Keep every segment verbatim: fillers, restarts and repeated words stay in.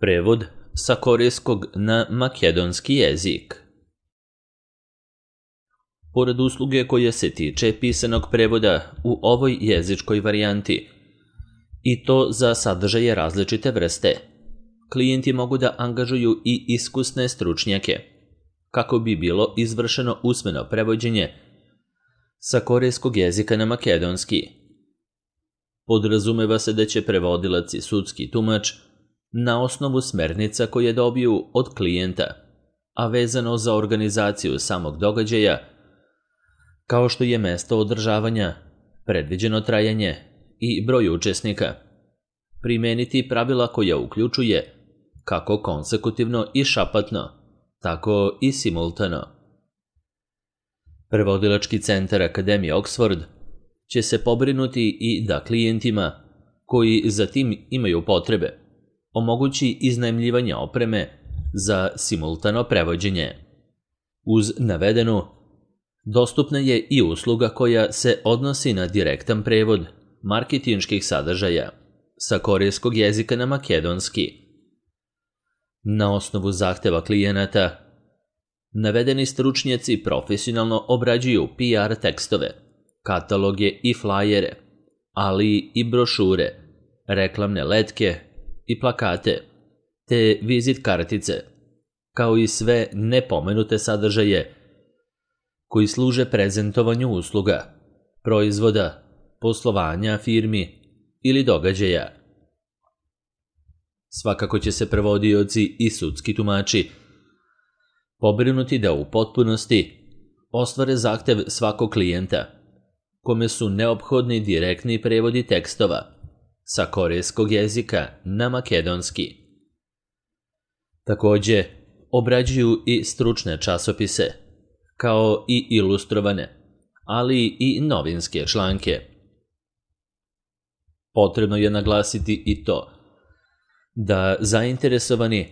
Prevod sa korejskog na makedonski jezik. Pored usluge koja se tiče pisanog prevoda u ovoj jezičkoj varijanti, i to za sadržaje različite vrste, klijenti mogu da angažuju i iskusne stručnjake, kako bi bilo izvršeno usmeno prevođenje sa korejskog jezika na makedonski. Podrazumeva se da će prevodilac i sudski tumač na osnovu smernica koje dobiju od klijenta, a vezano za organizaciju samog događaja, kao što je mesto održavanja, predviđeno trajanje i broj učesnika, primeniti pravila koja uključuje kako konsekutivno i šapatno, tako i simultano. Prevodilački centar Akademije Oxford će se pobrinuti i da klijentima, koji za tim imaju potrebe, omogući iznajmljivanje opreme za simultano prevođenje. Uz navedenu, dostupna je i usluga koja se odnosi na direktan prevod marketinških sadržaja sa korejskog jezika na makedonski. Na osnovu zahteva klijenata, navedeni stručnjaci profesionalno obrađuju P R tekstove, kataloge i flajere, ali i brošure, reklamne letke i plakate, te vizit kartice, kao i sve nepomenute sadržaje koji služe prezentovanju usluga, proizvoda, poslovanja firmi ili događaja. Svakako će se prevodioci i sudski tumači pobrinuti da u potpunosti ostvare zahtev svakog klijenta, kome su neophodni direktni prevodi tekstova sa korejskog jezika na makedonski. Takođe, obrađuju i stručne časopise, kao i ilustrovane, ali i novinske članke. Potrebno je naglasiti i to da zainteresovani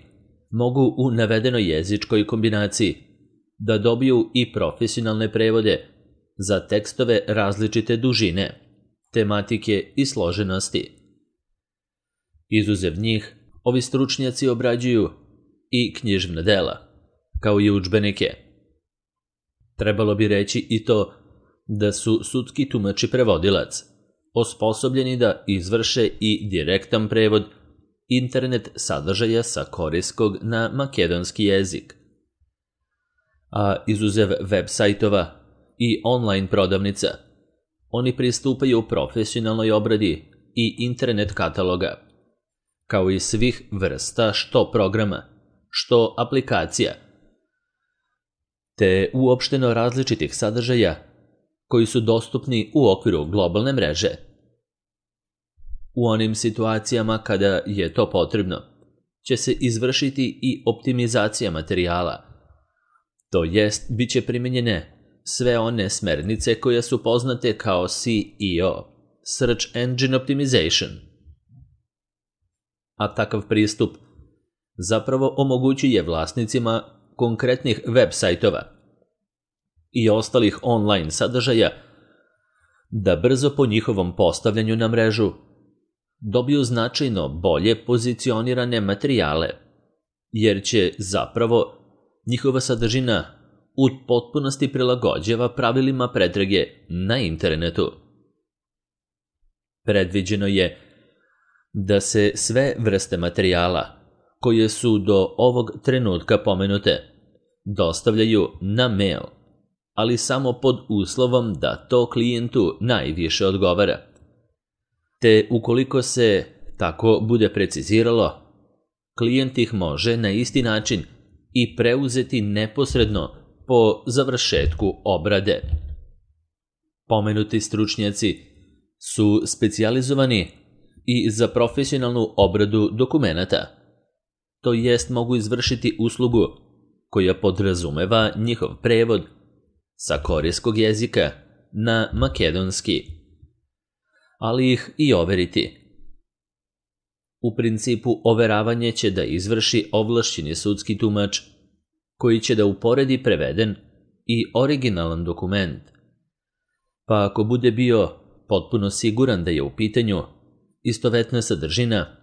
mogu u navedenoj jezičkoj kombinaciji da dobiju i profesionalne prevode za tekstove različite dužine, tematike i složenosti. Izuzev njih, ovi stručnjaci obrađuju i književna dela, kao i udžbenike. Trebalo bi reći i to da su sudski tumač i prevodilac osposobljeni da izvrše i direktan prevod internet sadržaja sa korejskog na makedonski jezik. A izuzev web sajtova i online prodavnica, oni pristupaju profesionalnoj obradi i internet kataloga, kao i svih vrsta što programa, što aplikacija, te uopšteno različitih sadržaja koji su dostupni u okviru globalne mreže. U onim situacijama kada je to potrebno, će se izvršiti i optimizacija materijala, to jest bit će primijenjene sve one smernice koje su poznate kao S E O, Search Engine Optimization. A takav pristup zapravo omogućuje vlasnicima konkretnih web sajtova i ostalih online sadržaja da brzo po njihovom postavljanju na mrežu dobiju značajno bolje pozicionirane materijale, jer će zapravo njihova sadržina u potpunosti prilagođava pravilima pretrage na internetu. Predviđeno je da se sve vrste materijala koje su do ovog trenutka pomenute dostavljaju na mail, ali samo pod uslovom da to klijentu najviše odgovara. Te ukoliko se tako bude preciziralo, klijent ih može na isti način i preuzeti neposredno po završetku obrade. Pomenuti stručnjaci su specijalizovani i za profesionalnu obradu dokumenata, to jest mogu izvršiti uslugu koja podrazumeva njihov prevod sa korejskog jezika na makedonski, ali ih i overiti. U principu overavanje će da izvrši ovlašćeni sudski tumač, koji će da uporedi preveden i originalan dokument, pa ako bude bio potpuno siguran da je u pitanju istovetna sadržina,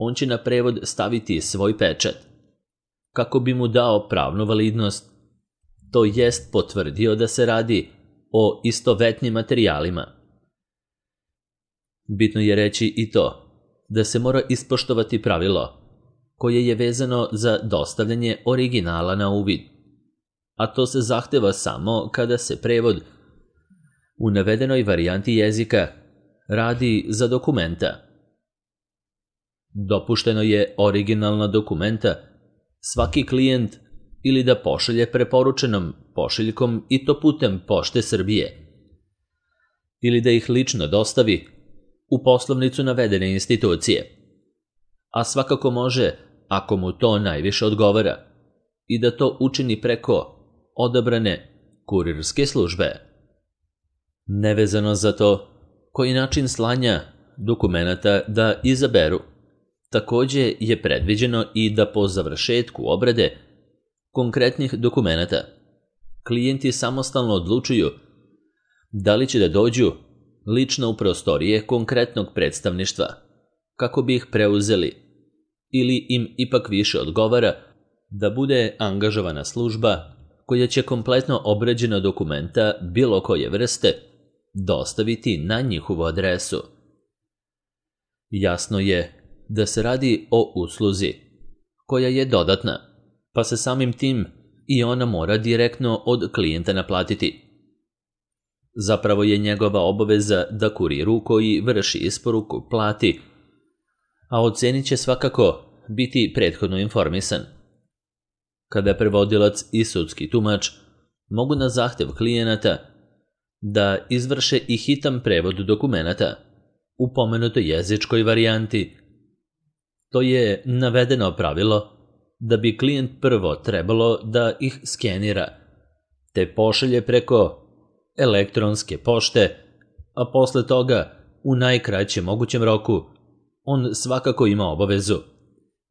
on će na prevod staviti svoj pečat, kako bi mu dao pravnu validnost, to jest potvrdio da se radi o istovetnim materijalima. Bitno je reći i to da se mora ispoštovati pravilo koje je vezano za dostavljanje originala na uvid, a to se zahteva samo kada se prevod u navedenoj varijanti jezika radi za dokumenta. Dopušteno je originalna dokumenta svaki klijent ili da pošalje preporučenom pošiljkom i to putem Pošte Srbije, ili da ih lično dostavi u poslovnicu navedene institucije, a svakako može, ako mu to najviše odgovara, i da to učini preko odabrane kurirske službe. Nevezano za to koji način slanja dokumenata da izaberu, takođe je predviđeno i da po završetku obrade konkretnih dokumenata klijenti samostalno odlučuju da li će da dođu lično u prostorije konkretnog predstavništva kako bi ih preuzeli, ili im ipak više odgovara da bude angažovana služba koja će kompletno obrađena dokumenta bilo koje vrste dostaviti na njihovu adresu. Jasno je da se radi o usluzi koja je dodatna, pa se samim tim i ona mora direktno od klijenta naplatiti. Zapravo je njegova obaveza da kuriru koji vrši isporuku plati, a o ceni će svakako biti prethodno informisan. Kada prevodilac i sudski tumač mogu na zahtev klijenata da izvrše i hitan prevod dokumenata u pomenutoj jezičkoj varijanti, to je navedeno pravilo da bi klijent prvo trebalo da ih skenira, te pošalje preko elektronske pošte, a posle toga, u najkraćem mogućem roku, on svakako ima obavezu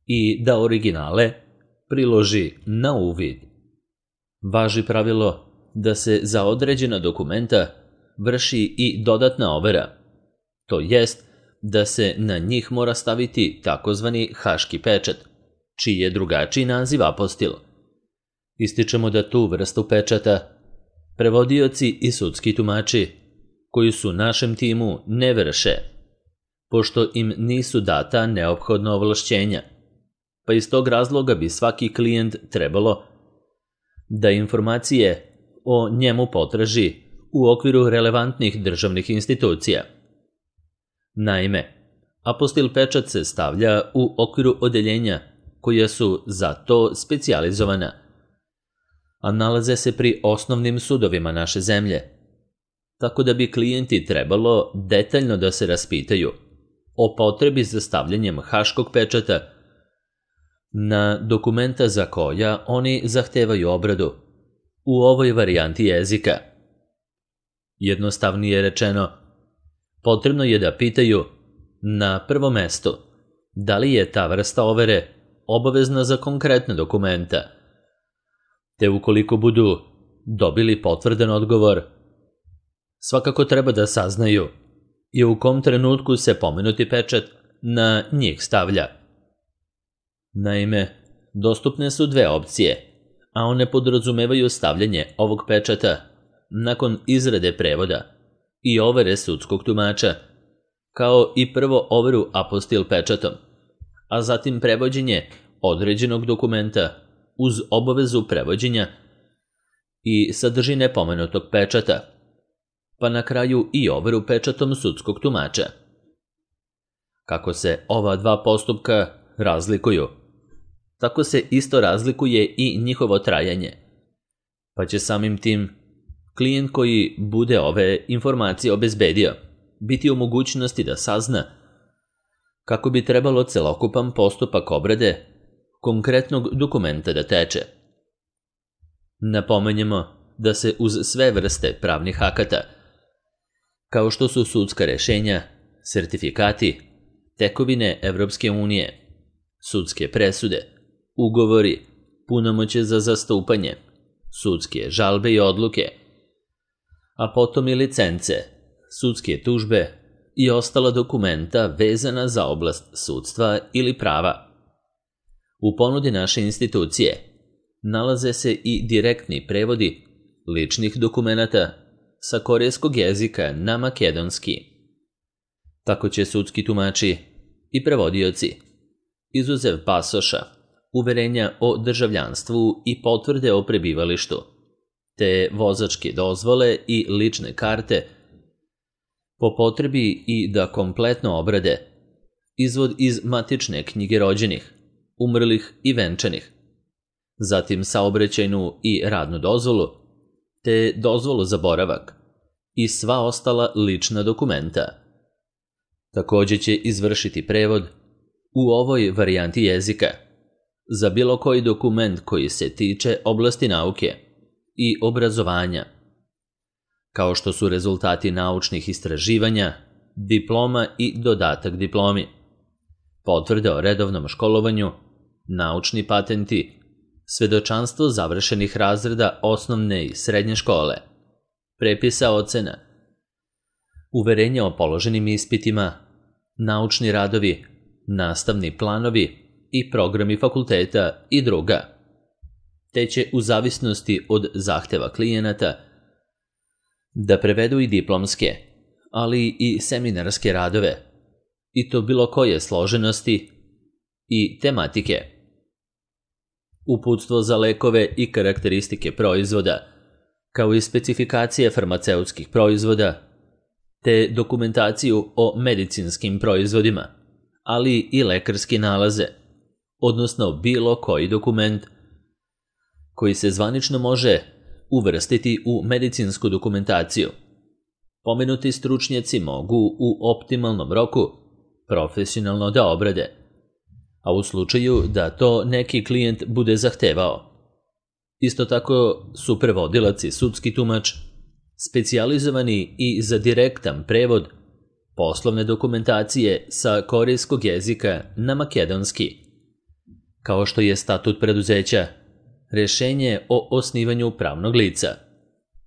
i da originale priloži na uvid. Važi pravilo da se za određena dokumenta vrši i dodatna overa, to jest da se na njih mora staviti takozvani haški pečat, čiji je drugačiji naziv apostil. Ističemo da tu vrstu pečata prevodioci i sudski tumači koji su našem timu ne vrše, pošto im nisu data neophodna ovlašćenja, pa iz tog razloga bi svaki klijent trebalo da informacije o njemu potraži u okviru relevantnih državnih institucija. Naime, apostil pečat se stavlja u okviru odeljenja koja su za to specijalizovana, a nalaze se pri osnovnim sudovima naše zemlje, tako da bi klijenti trebalo detaljno da se raspitaju o potrebi za stavljanjem haškog pečata na dokumenta za koja oni zahtevaju obradu u ovoj varijanti jezika. Jednostavnije rečeno, potrebno je da pitaju na prvom mestu da li je ta vrsta overe obavezna za konkretne dokumenta, te ukoliko budu dobili potvrdan odgovor, svakako treba da saznaju i u kom trenutku se pomenuti pečat na njih stavlja. Naime, dostupne su dve opcije, a one podrazumevaju stavljanje ovog pečata nakon izrade prevoda i overe sudskog tumača, kao i prvo overu apostil pečatom, a zatim prevođenje određenog dokumenta uz obavezu prevođenja i sadržine pomenutog pečata, pa na kraju i overu pečatom sudskog tumača. Kako se ova dva postupka razlikuju, tako se isto razlikuje i njihovo trajanje, pa će samim tim klijent koji bude ove informacije obezbedio biti u mogućnosti da sazna kako bi trebalo celokupan postupak obrade konkretnog dokumenta da teče. Napomenjemo da se uz sve vrste pravnih akata, kao što su sudska rešenja, sertifikati, tekovine Evropske unije, sudske presude, ugovori, punomoćje za zastupanje, sudske žalbe i odluke, a potom i licence, sudske tužbe, i ostala dokumenta vezana za oblast sudstva ili prava. U ponudi naše institucije nalaze se i direktni prevodi ličnih dokumenata sa korejskog jezika na makedonski. Tako će sudski tumači i prevodioci, izuzev pasoša, uverenja o državljanstvu i potvrde o prebivalištu, te vozačke dozvole i lične karte, po potrebi i da kompletno obrade izvod iz matične knjige rođenih, umrlih i venčanih, zatim saobraćajnu i radnu dozvolu, te dozvolu za boravak i sva ostala lična dokumenta. Također će izvršiti prevod u ovoj varijanti jezika za bilo koji dokument koji se tiče oblasti nauke i obrazovanja, kao što su rezultati naučnih istraživanja, diploma i dodatak diplomi, potvrde o redovnom školovanju, naučni patenti, svedočanstvo završenih razreda osnovne i srednje škole, prepisa ocena, uverenja o položenim ispitima, naučni radovi, nastavni planovi i programi fakulteta i druga, te će u zavisnosti od zahteva klijenata da prevedu i diplomske, ali i seminarske radove, i to bilo koje složenosti i tematike. Uputstvo za lekove i karakteristike proizvoda, kao i specifikacije farmaceutskih proizvoda, te dokumentaciju o medicinskim proizvodima, ali i lekarski nalaze, odnosno bilo koji dokument koji se zvanično može uvrstiti u medicinsku dokumentaciju. Pomenuti stručnjaci mogu u optimalnom roku profesionalno da obrade, a u slučaju da to neki klijent bude zahtevao. Isto tako su prevodilac i sudski tumač specijalizovani i za direktan prevod poslovne dokumentacije sa korejskog jezika na makedonski, kao što je statut preduzeća, rješenje o osnivanju pravnog lica,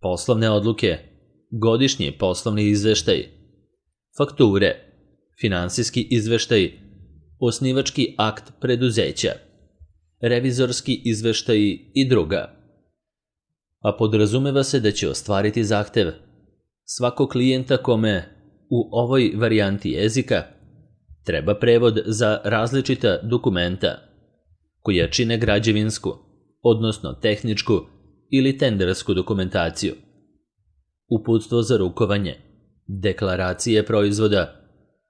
poslovne odluke, godišnji poslovni izveštaj, fakture, finansijski izveštaj, osnivački akt preduzeća, revizorski izveštaj i druga. A podrazumeva se da će ostvariti zahtev svakog klijenta kome u ovoj varijanti jezika treba prevod za različita dokumenta koja čine građevinsku, odnosno tehničku ili tendersku dokumentaciju, uputstvo za rukovanje, deklaracije proizvoda,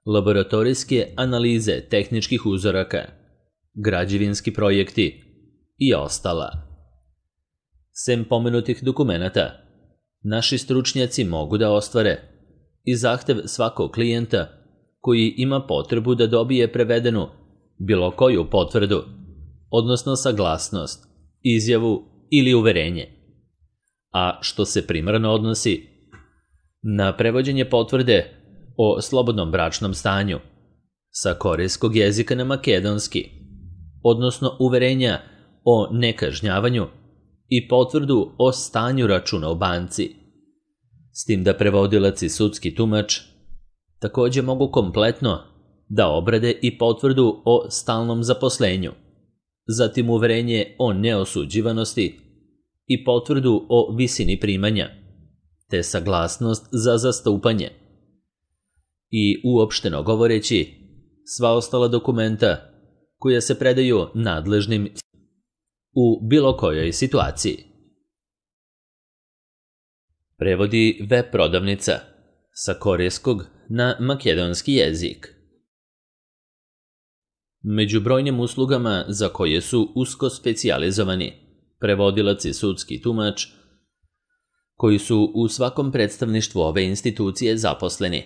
laboratorijske analize tehničkih uzoraka, građevinski projekti i ostala. Sem pomenutih dokumenata, naši stručnjaci mogu da ostvare i zahtev svakog klijenta koji ima potrebu da dobije prevedenu bilo koju potvrdu, odnosno saglasnost, izjavu ili uverenje, a što se primarno odnosi na prevođenje potvrde o slobodnom bračnom stanju sa korejskog jezika na makedonski, odnosno uverenja o nekažnjavanju i potvrdu o stanju računa u banci, s tim da prevodilac i sudski tumač također mogu kompletno da obrade i potvrdu o stalnom zaposlenju, zatim uverenje o neosuđivanosti i potvrdu o visini primanja, te saglasnost za zastupanje. I uopšteno govoreći, sva ostala dokumenta koja se predaju nadležnim u bilo kojoj situaciji. Prevodi web prodavnica sa korejskog na makedonski jezik. Među brojnim uslugama za koje su usko specijalizovani prevodilac i sudski tumač, koji su u svakom predstavništvu ove institucije zaposleni,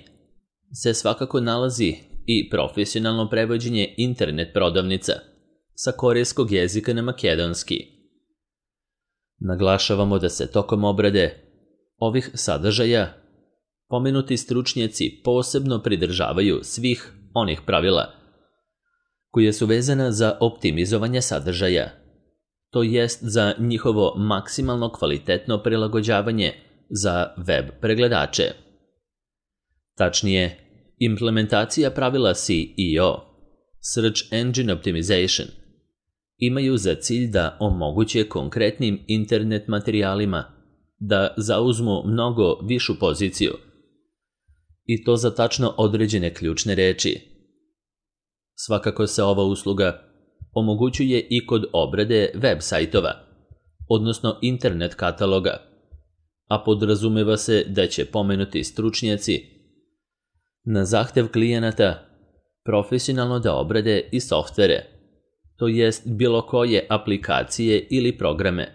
se svakako nalazi i profesionalno prevođenje internet prodavnica sa korejskog jezika na makedonski. Naglašavamo da se tokom obrade ovih sadržaja pomenuti stručnjaci posebno pridržavaju svih onih pravila koje su vezana za optimizovanje sadržaja, to jest za njihovo maksimalno kvalitetno prilagođavanje za web pregledače. Tačnije, Implementacija pravila S E O, Search Engine Optimization, imaju za cilj da omoguće konkretnim internet materijalima da zauzmu mnogo višu poziciju, i to za tačno određene ključne reči. Svakako se ova usluga omogućuje i kod obrade web sajtova, odnosno internet kataloga, a podrazumeva se da će pomenuti stručnjaci na zahtev klijenata profesionalno da obrade i softvere, to jest bilo koje aplikacije ili programe,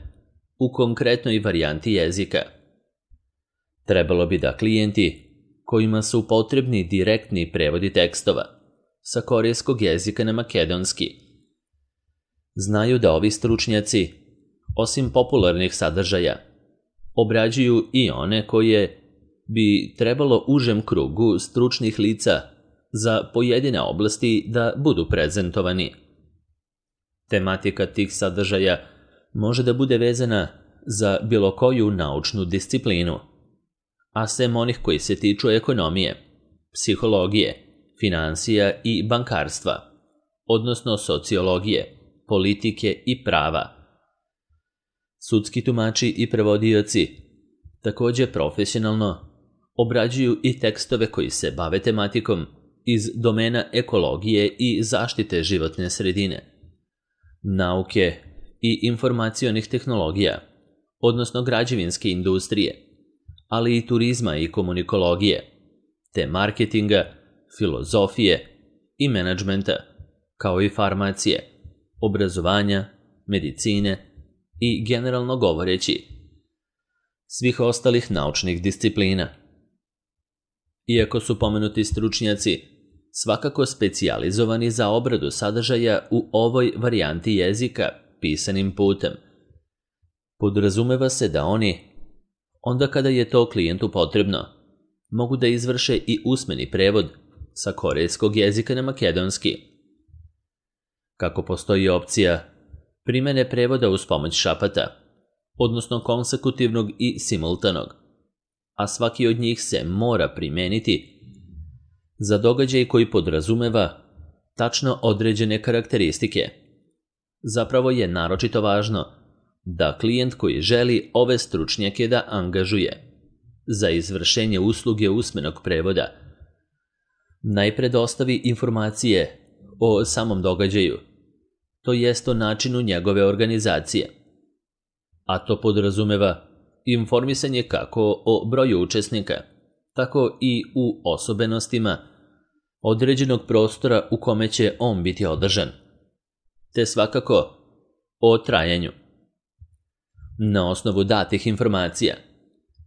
u konkretnoj varijanti jezika. Trebalo bi da klijenti kojima su potrebni direktni prevodi tekstova sa korejskog jezika na makedonski znaju da ovi stručnjaci, osim popularnih sadržaja, obrađuju i one koje bi trebalo užem krugu stručnih lica za pojedine oblasti da budu prezentovani. Tematika tih sadržaja može da bude vezana za bilo koju naučnu disciplinu, a sem onih koji se tiču ekonomije, psihologije, finansija i bankarstva, odnosno sociologije, politike i prava. Sudski tumači i prevodioci također profesionalno obrađuju i tekstove koji se bave tematikom iz domena ekologije i zaštite životne sredine, nauke i informacionih tehnologija, odnosno građevinske industrije, ali i turizma i komunikologije, te marketinga, filozofije i menadžmenta, kao i farmacije, obrazovanja, medicine i generalno govoreći svih ostalih naučnih disciplina. Iako su pomenuti stručnjaci svakako specijalizovani za obradu sadržaja u ovoj varijanti jezika pisanim putem, podrazumeva se da oni, onda kada je to klijentu potrebno, mogu da izvrše i usmeni prevod sa korejskog jezika na makedonski. Kako postoji opcija primene prevoda uz pomoć šapata, odnosno konsekutivnog i simultanog, a svaki od njih se mora primeniti za događaj koji podrazumeva tačno određene karakteristike. Zapravo je naročito važno da klijent koji želi ove stručnjake da angažuje za izvršenje usluge usmenog prevoda najpre dostavi informacije o samom događaju, to jest o načinu njegove organizacije, a to podrazumeva informisanje kako o broju učesnika, tako i u osobenostima određenog prostora u kome će on biti održan, te svakako o trajanju. Na osnovu datih informacija,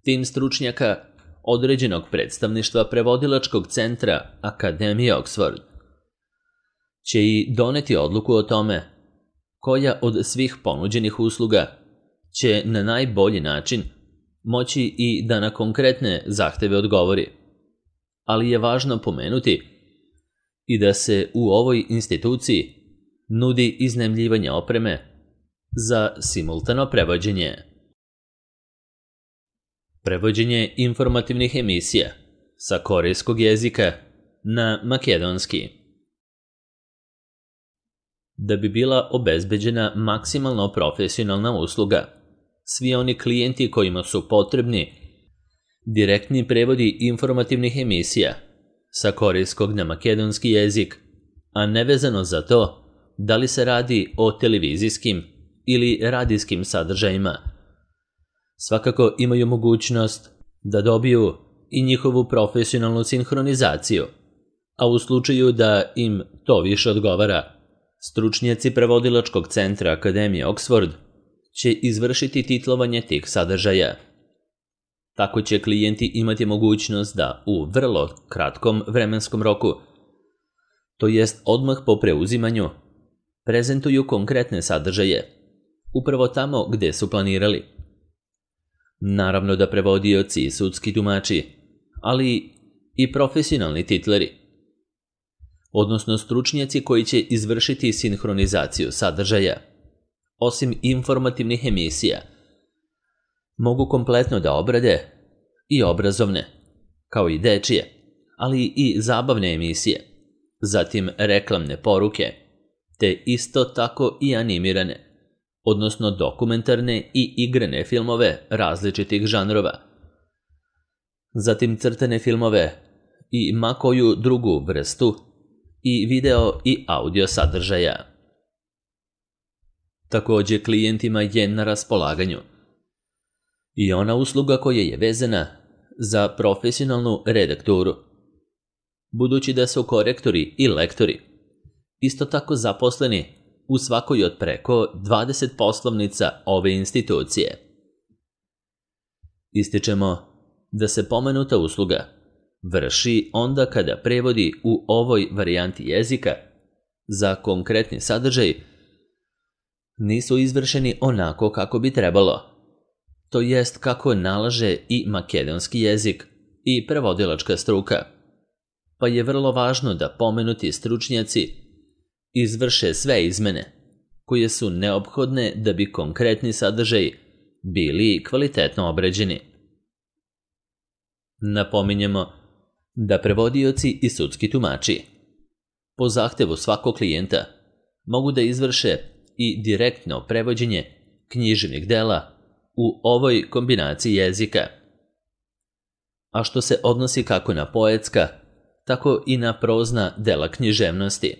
tim stručnjaka određenog predstavništva prevodilačkog centra Akademije Oxford će i doneti odluku o tome koja od svih ponuđenih usluga će na najbolji način moći i da na konkretne zahteve odgovori. Ali je važno pomenuti i da se u ovoj instituciji nudi iznajmljivanje opreme za simultano prevođenje. Prevođenje informativnih emisija sa korejskog jezika na makedonski. Da bi bila obezbeđena maksimalno profesionalna usluga, svi oni klijenti kojima su potrebni direktni prevodi informativnih emisija sa korejskog na makedonski jezik, a nevezano za to da li se radi o televizijskim ili radijskim sadržajima, svakako imaju mogućnost da dobiju i njihovu profesionalnu sinhronizaciju, a u slučaju da im to više odgovara, stručnjaci prevodilačkog centra Akademije Oxford će izvršiti titlovanje tih sadržaja. Tako će klijenti imati mogućnost da u vrlo kratkom vremenskom roku, to jest odmah po preuzimanju, prezentuju konkretne sadržaje, upravo tamo gde su planirali. Naravno da prevodioci i sudski tumači, ali i profesionalni titleri, odnosno stručnjaci koji će izvršiti sinhronizaciju sadržaja, osim informativnih emisija, mogu kompletno da obrade i obrazovne, kao i dečije, ali i zabavne emisije, zatim reklamne poruke, te isto tako i animirane, odnosno dokumentarne i igrane filmove različitih žanrova, zatim crtane filmove i ma koju drugu vrstu i video i audio sadržaja. Također klijentima je na raspolaganju i ona usluga koja je vezana za profesionalnu redakturu, budući da su korektori i lektori isto tako zaposleni u svakoj od preko dvadeset poslovnica ove institucije. Ističemo da se pomenuta usluga vrši onda kada prevodi u ovoj varijanti jezika za konkretni sadržaj nisu izvršeni onako kako bi trebalo, to jest kako nalaže i makedonski jezik i prevodilačka struka, pa je vrlo važno da pomenuti stručnjaci izvrše sve izmene koje su neophodne da bi konkretni sadržaj bili kvalitetno obrađeni. Napominjemo da prevodioci i sudski tumači po zahtevu svakog klijenta mogu da izvrše i direktno prevođenje književnih dela u ovoj kombinaciji jezika, a što se odnosi kako na poetska, tako i na prozna dela književnosti,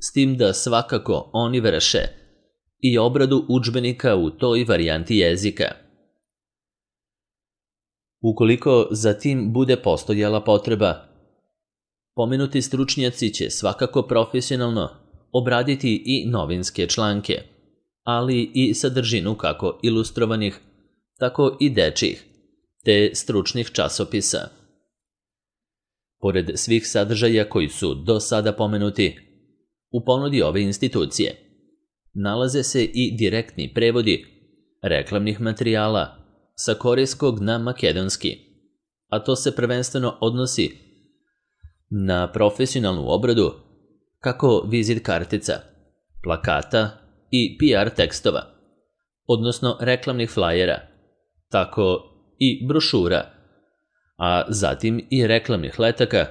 s tim da svakako oni vrše i obradu udžbenika u toj varijanti jezika. Ukoliko za tim bude postojala potreba, pomenuti stručnjaci će svakako profesionalno obraditi i novinske članke, ali i sadržinu kako ilustrovanih, tako i dečjih, te stručnih časopisa. Pored svih sadržaja koji su do sada pomenuti, u ponudi ove institucije nalaze se i direktni prevodi reklamnih materijala sa korejskog na makedonski, a to se prvenstveno odnosi na profesionalnu obradu kako vizit kartica, plakata i P R tekstova, odnosno reklamnih flajera, tako i brošura, a zatim i reklamnih letaka,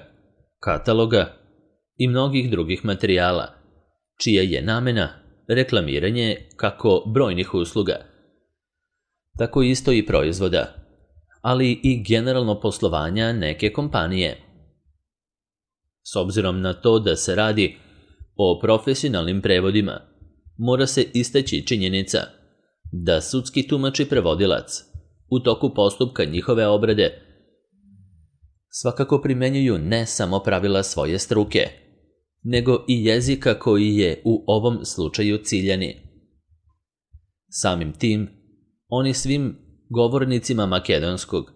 kataloga i mnogih drugih materijala, čija je namena reklamiranje kako brojnih usluga, tako isto i proizvoda, ali i generalno poslovanja neke kompanije. S obzirom na to da se radi o profesionalnim prevodima, mora se istaći činjenica da sudski tumač i prevodilac u toku postupka njihove obrade svakako primenjuju ne samo pravila svoje struke, nego i jezika koji je u ovom slučaju ciljani. Samim tim, oni svim govornicima makedonskog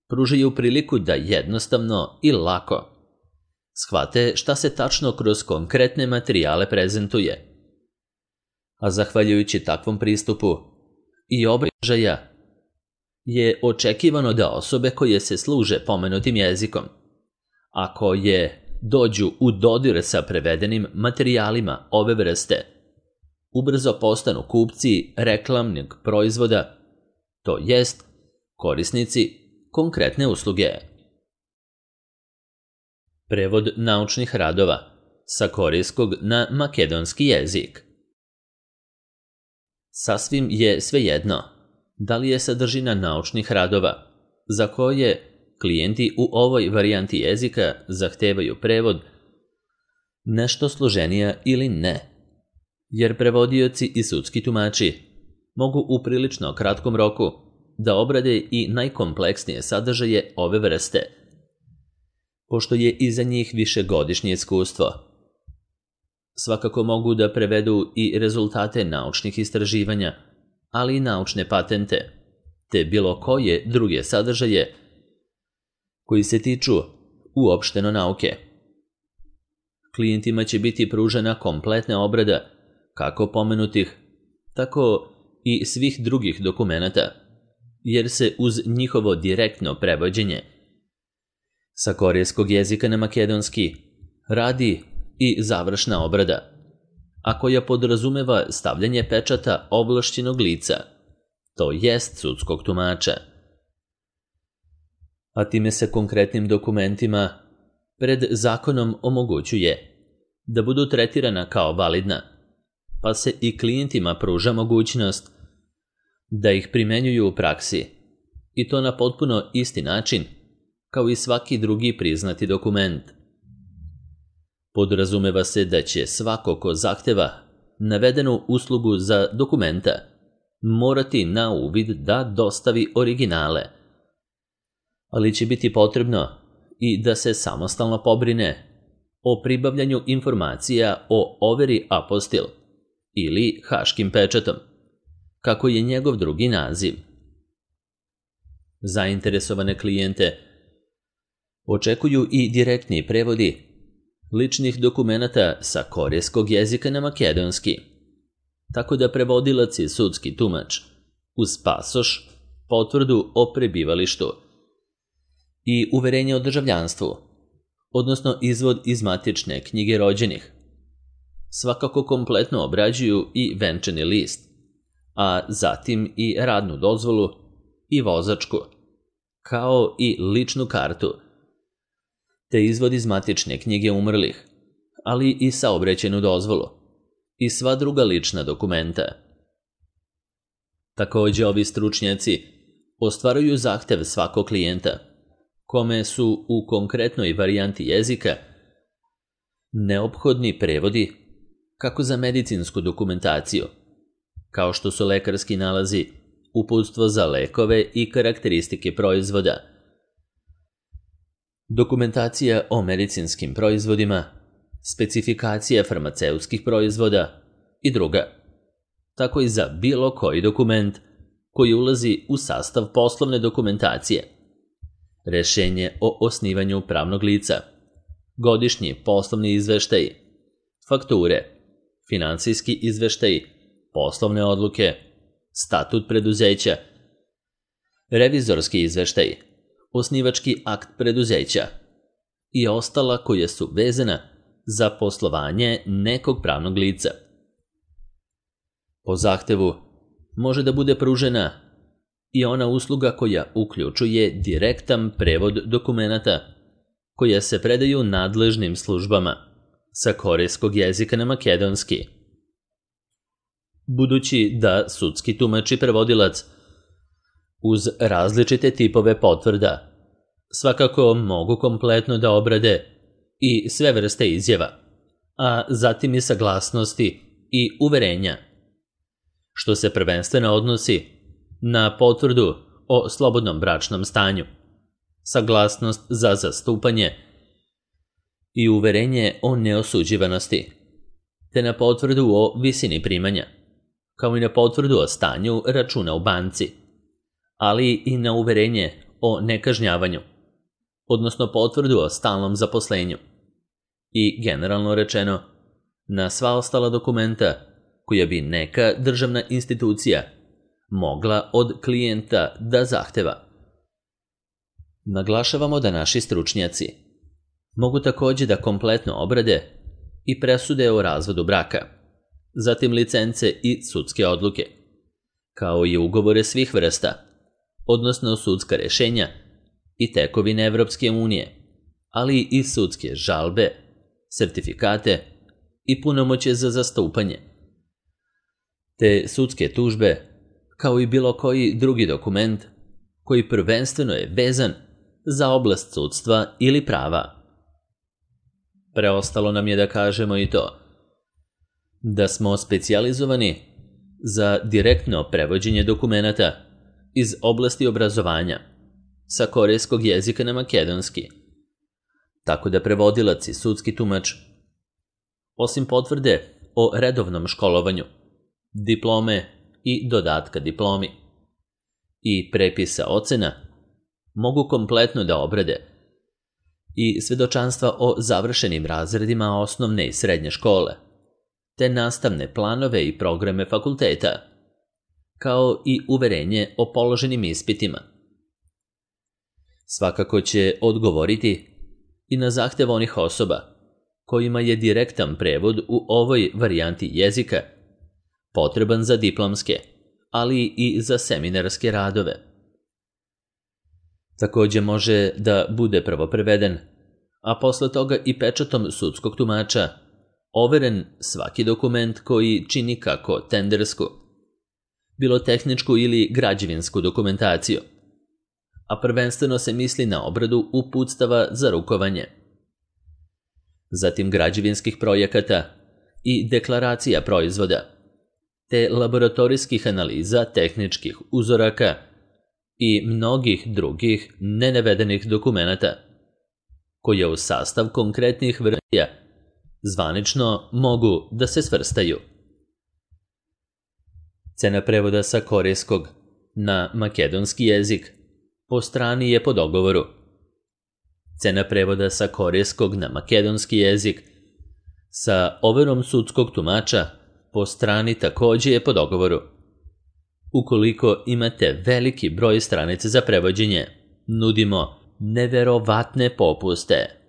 pružaju priliku da jednostavno i lako shvate šta se tačno kroz konkretne materijale prezentuje. A zahvaljujući takvom pristupu i obražaja je očekivano da osobe koje se služe pomenutim jezikom, a koje dođu u dodir sa prevedenim materijalima ove vrste, ubrzo postanu kupci reklamnog proizvoda, to jest korisnici konkretne usluge. Prevod naučnih radova sa korejskog na makedonski jezik. Sasvim je svejedno da li je sadržina naučnih radova za koje klijenti u ovoj varijanti jezika zahtevaju prevod nešto složenija ili ne, jer prevodioci i sudski tumači mogu u prilično kratkom roku da obrade i najkompleksnije sadržaje ove vrste, pošto je iza njih višegodišnje iskustvo. Svakako mogu da prevedu i rezultate naučnih istraživanja, ali i naučne patente, te bilo koje druge sadržaje koji se tiču uopšteno nauke. Klijentima će biti pružena kompletna obrada kako pomenutih, tako i svih drugih dokumenata, jer se uz njihovo direktno prevođenje sa korejskog jezika na makedonski radi i završna obrada, a koja podrazumeva stavljanje pečata ovlašćenog lica, to jest sudskog tumača. A time se konkretnim dokumentima pred zakonom omogućuje da budu tretirana kao validna, pa se i klijentima pruža mogućnost da ih primenjuju u praksi, i to na potpuno isti način kao i svaki drugi priznati dokument. Podrazumeva se da će svako ko zahteva navedenu uslugu za dokumenta morati na uvid da dostavi originale, ali će biti potrebno i da se samostalno pobrine o pribavljanju informacija o overi apostil ili haškim pečatom, kako je njegov drugi naziv. Zainteresovane klijente očekuju i direktni prevodi ličnih dokumenata sa korejskog jezika na makedonski, tako da prevodilac i sudski tumač uz pasoš, potvrdu o prebivalištu i uverenje o državljanstvu, odnosno izvod iz matične knjige rođenih, svakako kompletno obrađuju i venčani list, a zatim i radnu dozvolu i vozačku, kao i ličnu kartu, te izvod iz matične knjige umrlih, ali i saobraćajnu dozvolu i sva druga lična dokumenta. Takođe, ovi stručnjaci ostvaruju zahtev svakog klijenta, kome su u konkretnoj varijanti jezika neophodni prevodi kako za medicinsku dokumentaciju, kao što su lekarski nalazi, uputstvo za lekove i karakteristike proizvoda, dokumentacija o medicinskim proizvodima, specifikacija farmaceutskih proizvoda i druga, tako i za bilo koji dokument koji ulazi u sastav poslovne dokumentacije, rešenje o osnivanju pravnog lica, godišnji poslovni izveštaji, fakture, finansijski izveštaji, poslovne odluke, statut preduzeća, revizorski izveštaji, osnivački akt preduzeća i ostala koja su vezana za poslovanje nekog pravnog lica. Po zahtevu može da bude pružena i ona usluga koja uključuje direktan prevod dokumenata koja se predaju nadležnim službama sa korejskog jezika na makedonski. Budući da sudski tumač i prevodilac uz različite tipove potvrda svakako mogu kompletno da obrade i sve vrste izjava, a zatim i saglasnosti i uverenja, što se prvenstveno odnosi na potvrdu o slobodnom bračnom stanju, saglasnost za zastupanje i uverenje o neosuđivanosti, te na potvrdu o visini primanja, kao i na potvrdu o stanju računa u banci, ali i na uverenje o nekažnjavanju, odnosno potvrdu o stalnom zaposlenju i, generalno rečeno, na sva ostala dokumenta koja bi neka državna institucija mogla od klijenta da zahteva. Naglašavamo da naši stručnjaci mogu takođe da kompletno obrade i presude o razvodu braka, zatim licence i sudske odluke, kao i ugovore svih vrsta, odnosno sudska rešenja i tekovine Evropske unije, ali i sudske žalbe, sertifikate i punomoćje za zastupanje, te sudske tužbe, kao i bilo koji drugi dokument koji prvenstveno je vezan za oblast sudstva ili prava. Preostalo nam je da kažemo i to da smo specijalizovani za direktno prevođenje dokumenata iz oblasti obrazovanja sa korejskog jezika na makedonski, tako da prevodilac i sudski tumač, osim potvrde o redovnom školovanju, diplome i dodatka diplomi i prepisa ocena, mogu kompletno da obrade i svedočanstva o završenim razredima osnovne i srednje škole, te nastavne planove i programe fakulteta, kao i uverenje o položenim ispitima. Svakako će odgovoriti i na zahtev onih osoba kojima je direktan prevod u ovoj varijanti jezika potreban za diplomske, ali i za seminarske radove. Takođe može da bude prvo preveden a posle toga i pečatom sudskog tumača, overen svaki dokument koji čini kako tendersku, bilo tehničku ili građevinsku dokumentaciju, a prvenstveno se misli na obradu uputstava za rukovanje, zatim građevinskih projekata i deklaracija proizvoda, te laboratorijskih analiza tehničkih uzoraka i mnogih drugih nenavedenih dokumenata, koje u sastav konkretnih verzija zvanično mogu da se svrstaju. Cena prevoda sa korejskog na makedonski jezik po strani je po dogovoru. Cena prevoda sa korejskog na makedonski jezik sa overom sudskog tumača po strani takođe je po dogovoru. Ukoliko imate veliki broj stranica za prevođenje, nudimo neverovatne popuste.